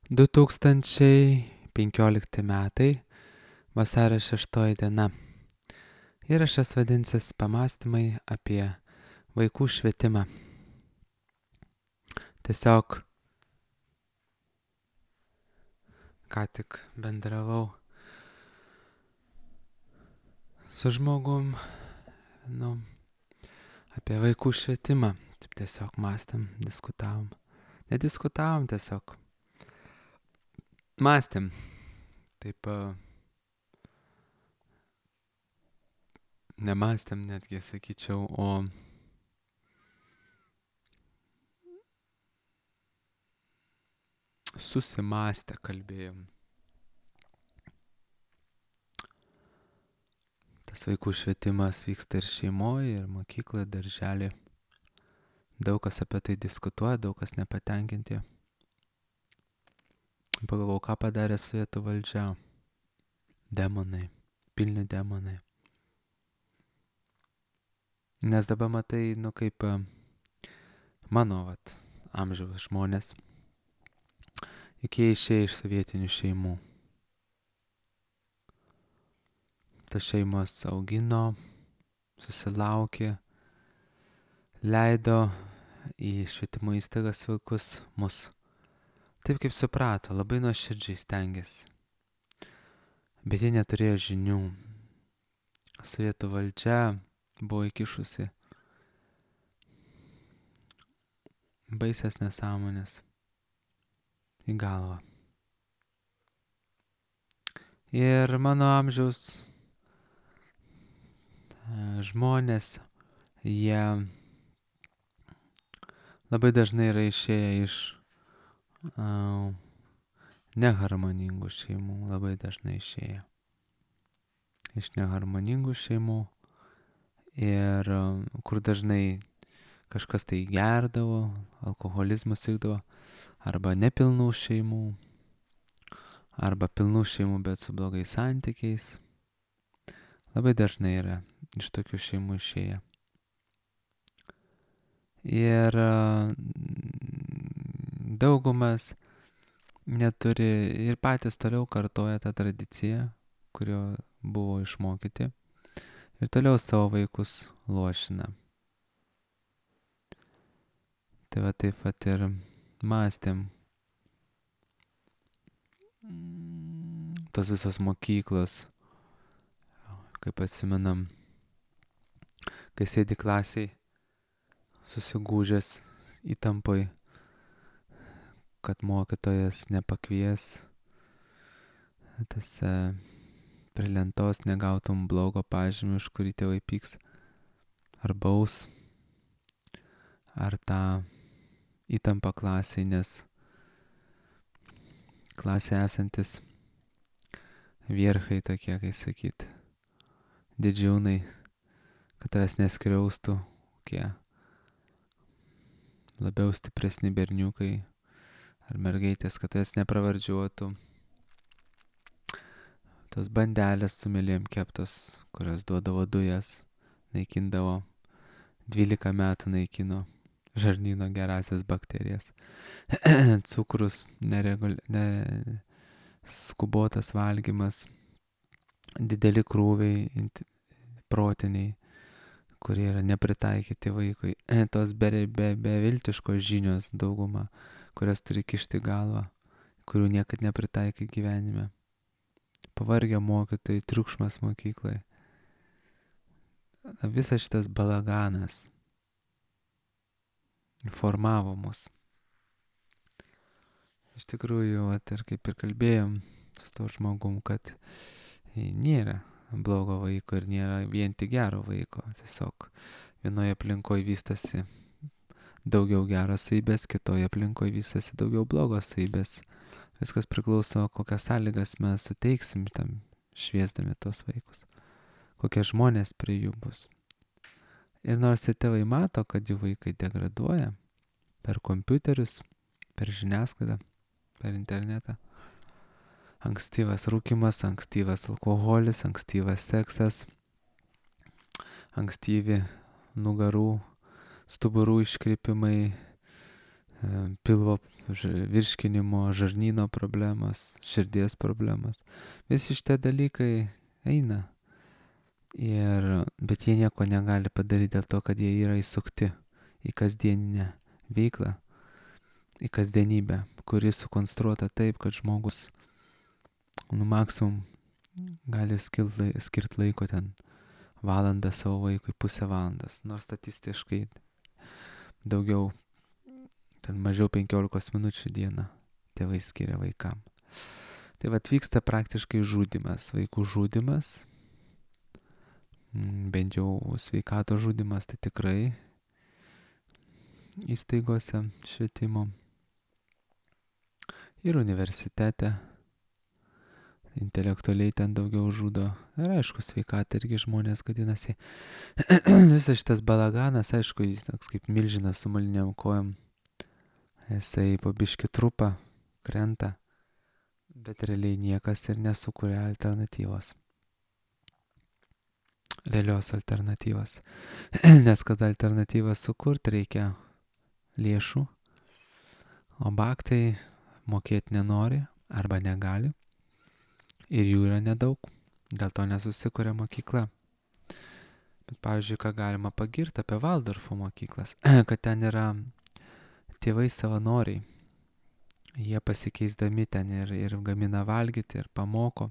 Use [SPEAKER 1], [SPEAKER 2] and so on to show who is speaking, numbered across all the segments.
[SPEAKER 1] 2015 metai, vasario 6 diena. Įrašas vadinsis Pamąstymai apie vaikų švietimą. Tiesiog ką tik bendravau su žmogum, apie vaikų švietimą. Taip tiesiog mąstėm, diskutavom. Nediskutavom, tiesiog mąstėm. Taip nemąstėm netgi, sakyčiau, o susimąstę kalbėjom. Tas vaikų švietimas vyksta ir šeimoje, ir mokykloje, darželį. Daug kas apie tai diskutuoja, daug kas nepatenkinti. Pagalvojau, ką padarė sovietų valdžia. Demonai, pilni demonai. Nes dabar matai, kaip mano amžiaus žmonės, juk jie išėjo iš sovietinių šeimų. Tas šeimos augino, susilaukė, leido į švietimo įstaigas vaikus mus. Taip kaip suprato, labai nuoširdžiai stengiasi. Bet jie neturėjo žinių. Sovietų valdžia buvo įkišusi baisias nesąmonės į galvą. Ir mano amžiaus žmonės, jie labai dažnai yra išėję iš neharmoningų šeimų, labai dažnai išėję iš neharmoningų šeimų ir kur dažnai kažkas tai gerdavo, alkoholizmas sirgdavo, arba nepilnų šeimų, arba pilnų šeimų, bet su blogais santykiais. Labai dažnai yra iš tokių šeimų išėję. Ir daugumas neturi ir patys toliau kartoja tą tradiciją, kurio buvo išmokyti, ir toliau savo vaikus luošina. Tai taip ir mąstėm. Tos visos mokyklos, kaip atsimenam, kai sėdi klasiai, susigūžęs įtampoj, kad mokytojas nepakvies, tas prie lentos negautum blogo pažymio, už kurį tėvai pyks, ar baus, ar tą įtampą klasiai, nes klasėje esantis vierchai tokie, kai sakyt, didžiūnai, kad tavęs neskriaustų, kokie labiau stipresni berniukai ar mergaitės, kad tavęs nepravardžiuotų. Tos bandelės su mėlėm keptos, kurios duodavo dujas, naikindavo, 12 metų naikino žarnyno gerasias bakterijas. Cukrus, skubotas valgymas, dideli krūviai protiniai, kurie yra nepritaikyti vaikui. Tos beviltiškos žinios dauguma, kurias turi kišti galvą, kurių niekad nepritaikai gyvenime. Pavargę mokytojai, triukšmas mokyklai. Visas šitas balaganas formavo mus. Iš tikrųjų, ir kaip ir kalbėjom su to žmogum, kad nėra blogo vaiko ir nėra vien tik gero vaiko. Tiesiog vienoje aplinkoje vystosi daugiau geros savybės, kitoje aplinkoje vystosi daugiau blogos savybės. Viskas priklauso, kokias sąlygas mes suteiksim tam šviesdami tos vaikus, kokie žmonės prie jų bus. Ir nors tėvai mato, kad jų vaikai degraduoja per kompiuterius, per žiniasklaidą, per internetą, ankstyvas rūkymas, ankstyvas alkoholis, ankstyvas seksas, ankstyvi nugarų, stuburų iškrypimai, pilvo virškinimo, žarnyno problemos, širdies problemos. Visi šitie dalykai eina. Bet jie nieko negali padaryti dėl to, kad jie yra įsukti į kasdieninę veiklą, į kasdienybę, kuri sukonstruota taip, kad žmogus maksimum gali skirti laiko ten valandą savo vaikui, pusę valandos, nors statistiškai daugiau, ten mažiau 15 minučių dieną tėvai skiria vaikam. Tai atvyksta praktiškai žudimas, vaikų žudimas, bent jau sveikato žudimas, tai tikrai įstaigose švietimo ir universitete. Intelektualiai ten daugiau žudo. Ir aišku, sveikata irgi žmonės gadinasi. Visas šitas balaganas, aišku, jis toks kaip milžinas su moliniam kojom. Jisai po biškį trupa, krenta, bet realiai niekas ir nesukuria alternatyvos. Realios alternatyvos. Nes kad alternatyvas sukurti reikia lėšų, o baktai mokėti nenori arba negali. Ir jų yra nedaug, dėl to nesusikuria mokykla. Bet pavyzdžiui, ką galima pagirti apie Valdorfo mokyklas, kad ten yra tėvai savanoriai. Jie pasikeisdami ten ir gamina valgyti, ir pamoko.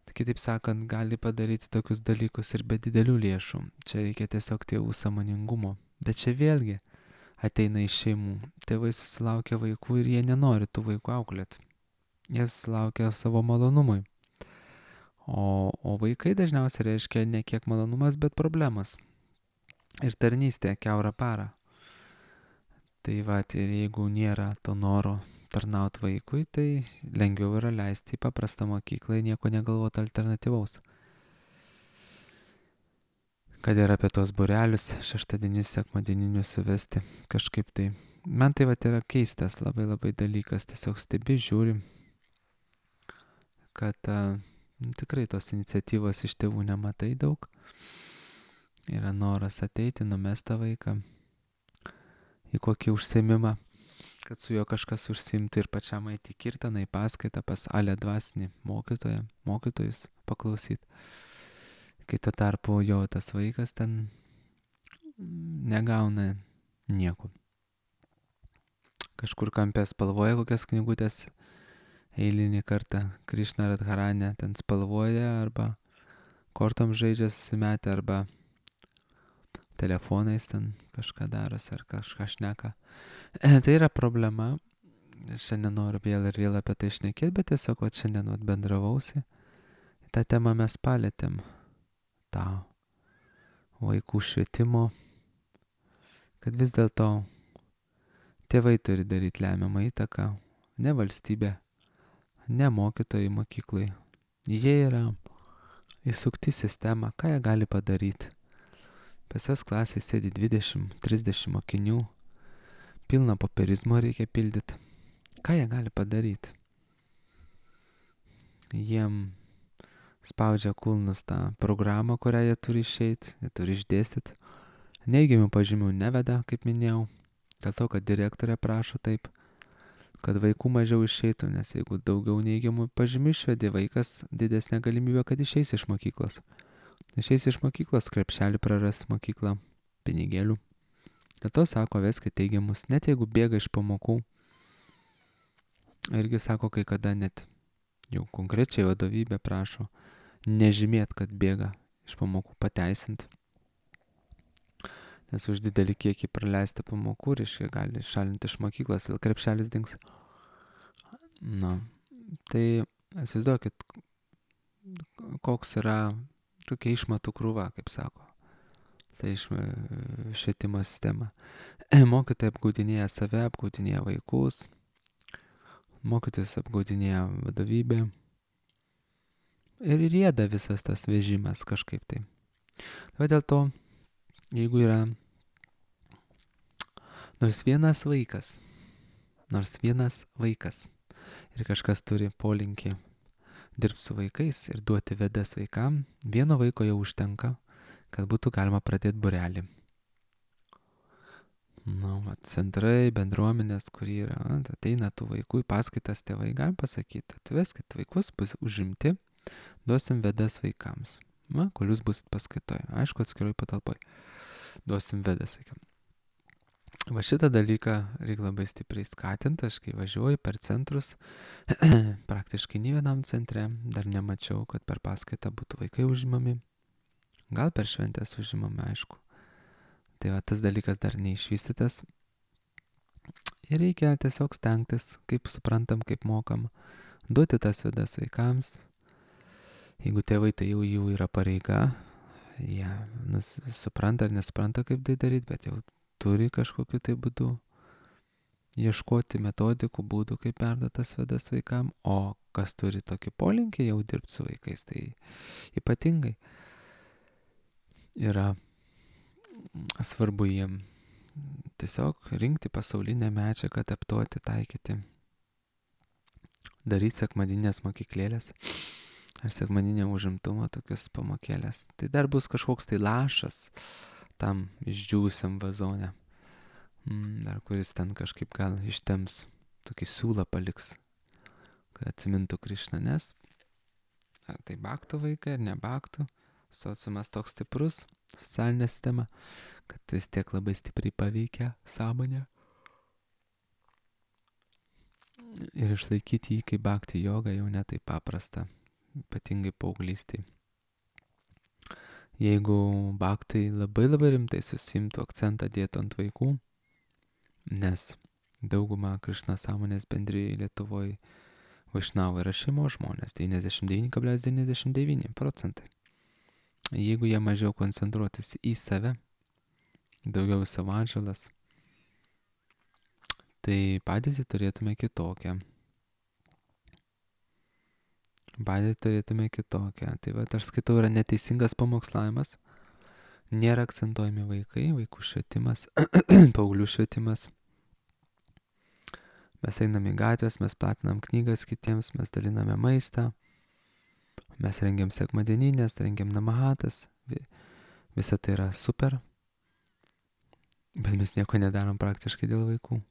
[SPEAKER 1] Tai kitaip sakant, gali padaryti tokius dalykus ir be didelių lėšų. Čia reikia tiesiog tėvų sąmoningumo. Bet čia vėlgi ateina iš šeimų. Tėvai susilaukia vaikų ir jie nenori tų vaikų auklėti. Jie susilaukia savo malonumui. O vaikai dažniausiai reiškia ne kiek malonumas, bet problemas. Ir tarnystė kiaurą parą. Tai ir jeigu nėra to noro tarnauti vaikui, tai lengviau yra leisti į paprastą mokyklą, nieko negalvoti alternatyvaus. Kad ir apie tos būrelius šeštadienius, sekmadieninius suvesti kažkaip tai. Man tai yra keistas labai labai dalykas, tiesiog stebi, žiūri, kad tikrai tos iniciatyvos iš tėvų nematai daug. Yra noras ateiti, numesti vaiką į kokį užsiėmimą, kad su juo kažkas užsiimtų ir pačiam eiti į kirtaną, į paskaitą pas ale dvasinį mokytojus paklausyti. Kai tuo tarpu jo tas vaikas ten negauna nieko. Kažkur kampe spalvoja kokias knygutės, eilinį kartą Krišna Radharane ten spalvoja arba kortom žaidžia susimetę arba telefonais ten kažką daros ar kažką šneka. Tai yra problema. Šiandien noriu vėl ir vėl apie tai šnekėti, bet tiesiog šiandien bendravausi. tą temą mes palėtėm, tą vaikų švietimo, kad vis dėlto tėvai turi daryti lemiamą įtaką, ne valstybė, ne mokytojai mokyklai. Jie yra įsukti sistemą, ką jie gali padaryti. Pas jas klasėje sėdi 20-30 mokinių, pilna popierizmo reikia pildyti. Ką jie gali padaryti? Jiem spaudžia kulnus tą programą, kurią jie turi išeiti, jie turi išdėstyti. Neigiamų pažymių neveda, kaip minėjau, dėl to, kad direktorė prašo taip, kad vaikų mažiau išeitų, nes jeigu daugiau neigiamų pažymių išvedė, vaikas didesnė galimybė, kad išeis iš mokyklos. Išeis iš mokyklos, krepšelį praras mokyklą, pinigėlių. Dėl to sako, veskit teigiamus, net jeigu bėga iš pamokų. Irgi sako, kai kada net jau konkrečiai vadovybė prašo nežymėt, kad bėga iš pamokų, pateisint. Nes už didelį kiekį praleisti pamokų, reiškia, gali šalinti iš mokyklos, ir krepšelis dings. Na, tai įsivaizduokit, koks yra tokia išmatų krūva, kaip sako. Tai švietimo sistema. Mokytojai apgaudinėja save, apgaudinėja vaikus, mokytojus apgaudinėja vadovybė. Ir rieda visas tas vežimas kažkaip tai. Tai dėl to, jeigu yra nors vienas vaikas ir kažkas turi polinkį dirbti su vaikais ir duoti vedas vaikam, vieno vaiko jau užtenka, kad būtų galima pradėti būrelį. centrai, bendruomenės, kur yra, ateina tų vaikų į paskaitas tėvai, galim pasakyti, atveskit vaikus, bus užimti, duosim vedas vaikams. Kol jūs busit paskaitoje, aišku, atskiroj patalpoj, duosim vedas vaikams. Va šitą dalyką reikia labai stipriai skatinti, aš kai važiuoju per centrus, praktiškai nei vienam centre dar nemačiau, kad per paskaitą būtų vaikai užimami, gal per šventės užimami, aišku. Tai va tas dalykas dar neišvystytas ir reikia tiesiog stengtis, kaip suprantam, kaip mokam, duoti tas vedas vaikams. Jeigu tėvai, tai jau jų yra pareiga, jie supranta ar nesupranta, kaip tai daryti, bet jau turi kažkokiu tai būdu ieškoti metodikų, būdų, kaip perduoti tas vedas vaikam, o kas turi tokį polinkį jau dirbti su vaikais, tai ypatingai yra svarbu jiem tiesiog rinkti pasaulinę medžiagą, adaptuoti, taikyti, daryti sekmadinės mokyklėlės ar sekmadinę užimtumą, tokius pamokėlės. Tai dar bus kažkoks tai lašas tam išdžiūsiam vazone, dar kuris ten kažkaip gal ištems, tokį siūlą paliks, kad atsimintų Krišną, nes tai baktų vaikai ar ne baktų, sociumas toks stiprus, socialinė sistema, kad vis tiek labai stipriai paveikia sąmonę. Ir išlaikyti jį kaip bakti jogą jau ne taip paprasta, ypatingai paauglystėj. Jeigu baktai labai rimtai susimtų, akcentą dėtų ant vaikų, nes dauguma Krišna sąmonės bendrijai Lietuvoje vaišnavai yra šeimos žmonės, 99,99%. Jeigu jie mažiau koncentruotis į save, daugiau į savo atžalas, tai padėtį turėtume kitokią. Tai va, aš skaitau, yra neteisingas pamokslavimas, nėra akcentuojami vaikai, vaikų švietimas, paauglių švietimas. Mes einam į gatvės, mes platinam knygas kitiems, mes daliname maistą, mes rengiam sekmadieninės, rengiam namahatas, visa tai yra super, bet mes nieko nedarom praktiškai dėl vaikų.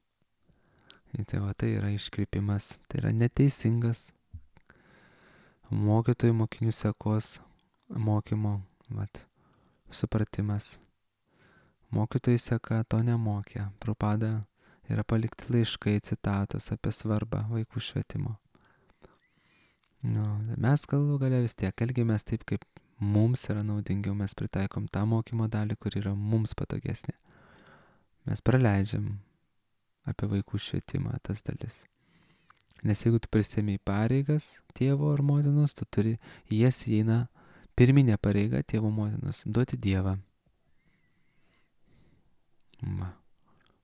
[SPEAKER 1] Tai va, tai yra iškreipimas, tai yra neteisingas mokytojų mokinių sekos mokymo supratimas. Mokytojai seka to nemokė. Prabhupada yra palikti laiškai, citatos apie svarbą vaikų švietimo. Mes galų gale vis tiek elgiamės taip, kaip mums yra naudingiau, mes pritaikom tą mokymo dalį, kur yra mums patogesnė. Mes praleidžiam apie vaikų švietimą tas dalis. Nes jeigu tu prisėmei pareigas tėvo ar motinos, tu turi, jas įeina pirminė pareiga tėvo motinos, duoti Dievą.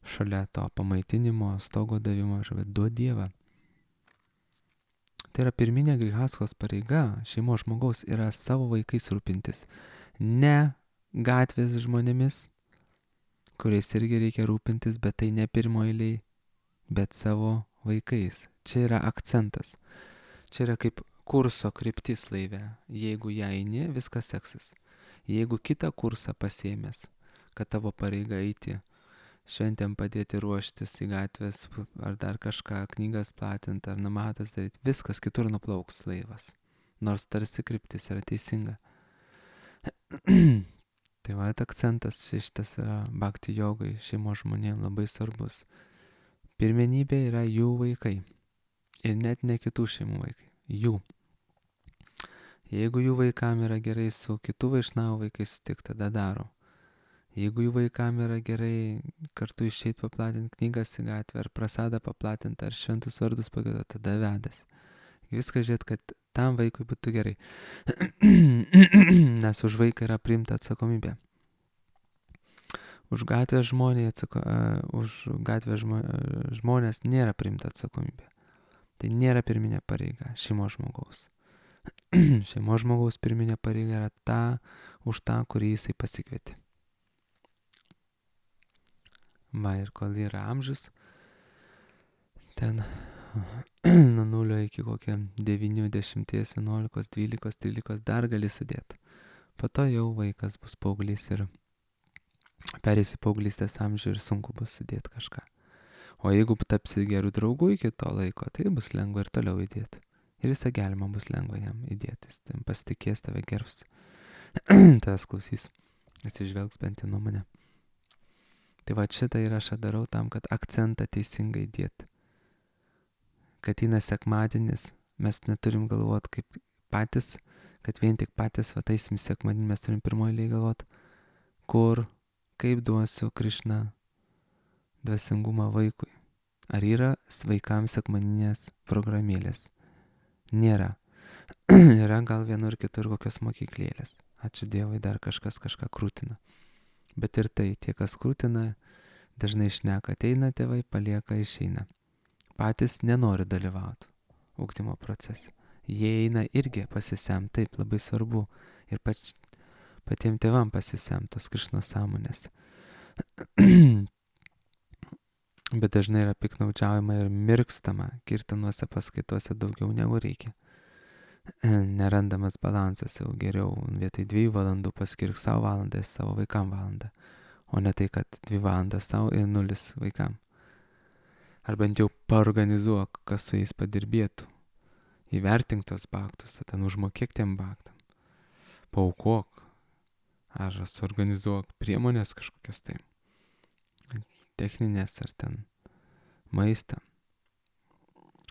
[SPEAKER 1] Šalia to pamaitinimo, stogo davimo, duoti Dievą. Tai yra pirminė grihaskos pareiga šeimos žmogaus yra savo vaikais rūpintis. Ne gatvės žmonėmis, kuriais irgi reikia rūpintis, bet tai ne pirmo eiliai, bet savo vaikais. Čia yra akcentas. Čia yra kaip kurso kryptis laive. Jeigu ją eini, viskas seksis. Jeigu kitą kursą pasiėmės, kad tavo pareiga eiti, šventėm padėti ruoštis į gatvės, ar dar kažką, knygas platinti, ar namatas daryti, viskas kitur nuplauks laivas. Nors tarsi kryptis yra teisinga. Tai va, akcentas šitas yra bhakti jogai, šeimos žmonėms labai svarbus. Pirmenybė yra jų vaikai. Ir net ne kitų šeimų vaikai. Jų. Jeigu jų vaikam yra gerai su kitų vaišnavų vaikais sutikti, tada daro. Jeigu jų vaikam yra gerai kartu išeiti paplatinti knygas į gatvę, ar prasadą paplatinti, ar šventus vardus pagiedoti, tada vedas. Viską žiūrėt, kad tam vaikui būtų gerai. Nes už vaiką yra priimta atsakomybė. Už gatvės žmonės nėra priimta atsakomybė. Tai nėra pirminė pareiga šeimos žmogaus. Šeimos žmogaus pirminė pareiga yra ta, už tą, kurį jisai pasikvietė. Ir kol yra amžius, ten nuo 0 iki kokie 9, 10, 11, 12, 13 dar gali sudėti. Po to jau vaikas bus paauglys ir perėsi paauglystės amžių ir sunku bus sudėti kažką. O jeigu tapsi gerų draugų iki to laiko, tai bus lengva ir toliau įdėti. Ir visą gyvenimą bus lengva jam įdėti. Jis tam pasitikės, tave gerbs. Tavęs klausys. Atsižvelgs bent į nuomonę. Tai va šitą įrašą darau tam, kad akcentą teisingai dėti. Kad eina sekmadienis, mes neturim galvoti kaip patys, kad vien tik patys vataisim sekmadienį, mes turim pirmoji eilėje galvoti, kur, kaip duosiu Krišna dvasingumą vaikui. Ar yra vaikams sekmadieninės programėlės? Nėra. Yra gal vienur kitur kokios mokyklėlės. Ačiū Dievui, dar kažkas kažką krūtina. Bet ir tai, tie, kas krūtina, dažnai šneka, ateina tėvai, palieka, išeina. Patys nenori dalyvauti ugdymo procese. Jie eina irgi pasisemt, taip, labai svarbu. Ir patiem tėvam pasisemt tos Krišnos sąmonės. Bet dažnai yra piknaudžiaujama ir mirkstama kirtanuose paskaitose daugiau negu reikia. Nerandamas balansas, jau geriau vietoj 2 valandų paskirk savo valandą, savo vaikam valandą. O ne tai, kad 2 valandas savo ir 0 vaikam. Ar bent jau paorganizuok, kas su jais padirbėtų. Įvertink tos baktus, ten užmokėk tiem baktam. Paaukok. Ar suorganizuok priemonės kažkokias tai. Techninės ar ten maistą.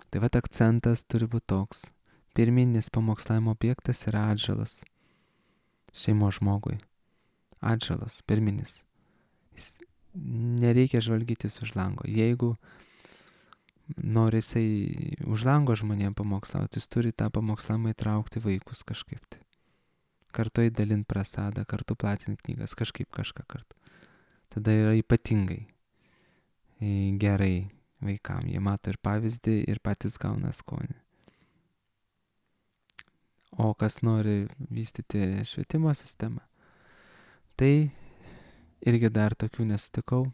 [SPEAKER 1] Tai vat akcentas turi būti toks. Pirminis pamokslavimo objektas yra atžalas šeimos žmogui. Atžalas, pirminis. Nereikia žvalgytis už lango. Jeigu nori jisai už lango žmonėm pamokslauti, jis turi tą pamokslavimą įtraukti vaikus kažkaip tai. Kartu įdalint prasadą, kartu platinti knygas, kažkaip kažką kartu. Tada yra ypatingai gerai vaikam. Jie mato ir pavyzdį, ir patys gauna skonį. O kas nori vystyti švietimo sistemą, tai irgi dar tokių nesutikau,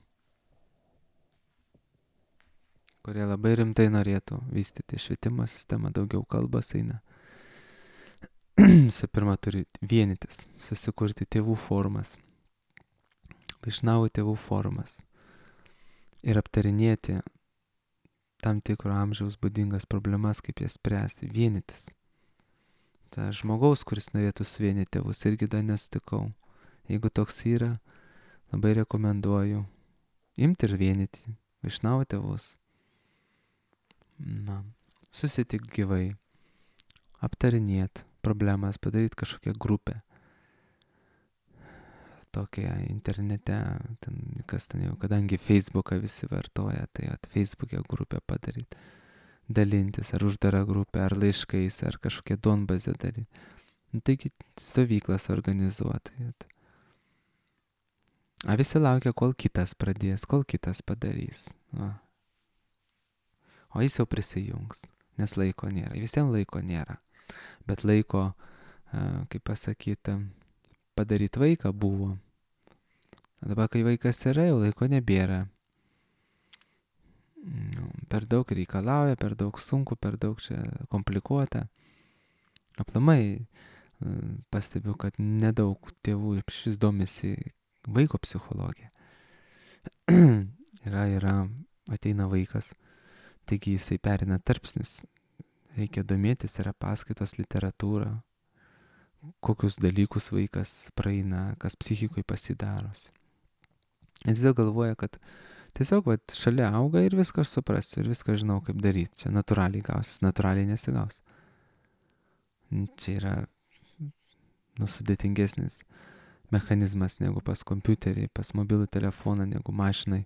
[SPEAKER 1] kurie labai rimtai norėtų vystyti švietimo sistemą, daugiau kalbos eina. Visų pirma, turi vienytis, susikurti tėvų formas, iš naujo tėvų formas ir aptarinėti tam tikro amžiaus būdingas problemas, kaip jas spręsti, vienytis. Ta žmogaus, kuris norėtų suvienyti tėvus, irgi dar nesutikau. Jeigu toks yra, labai rekomenduoju imti ir vienyti, iš naujo tėvus. Susitikti gyvai, aptarinėti problemas, padaryti kažkokią grupę. Tokia internete, kas ten jau, kadangi Facebooką visi vartoja, tai Facebook'e grupę padaryti, dalintis, ar uždarą grupę, ar laiškais, ar kažkokią duonbazę daryti. Taigi stovyklas organizuoti. A visi laukia, kol kitas pradės, kol kitas padarys. O jis jau prisijungs, nes laiko nėra. Visiems laiko nėra. Bet laiko, kaip pasakyti, padaryti vaiką buvo. Dabar, kai vaikas yra, jau laiko nebėra. Per daug reikalauja, per daug sunku, per daug čia komplikuota. Aplamai pastebiu, kad nedaug tėvų šis domisi vaiko psichologija. Ateina vaikas, taigi jisai perina tarpsnius. Reikia domėtis, yra paskaitos, literatūra, kokius dalykus vaikas praeina, kas psichikui pasidaros. Jis tiesiog galvoja, kad tiesiog šalia auga ir viską aš suprasiu, ir viską žinau, kaip daryti. Čia natūraliai gausis, natūraliai nesigaus. Čia yra sudėtingesnis mechanizmas negu pas kompiuterį, pas mobilų telefoną, negu mašinai.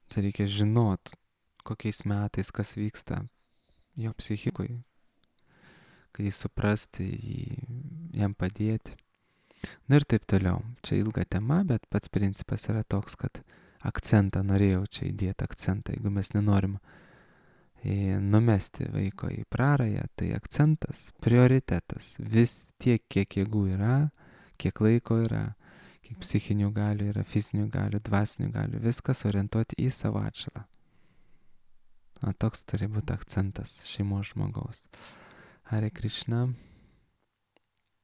[SPEAKER 1] Čia reikia žinot, kokiais metais kas vyksta jo psichikui, kad jį suprasti, jam padėti. Ir taip toliau. Čia ilga tema, bet pats principas yra toks, kad akcentą norėjau čia įdėti akcentą. Jeigu mes nenorim numesti vaiko į prarają, tai akcentas, prioritetas. Vis tiek, kiek jėgų yra, kiek laiko yra, kiek psichinių galių yra, fizinių galių, dvasinių galių, viskas orientuoti į savo atžalą. Toks turi būti akcentas šeimos žmogaus. Hare Krishna.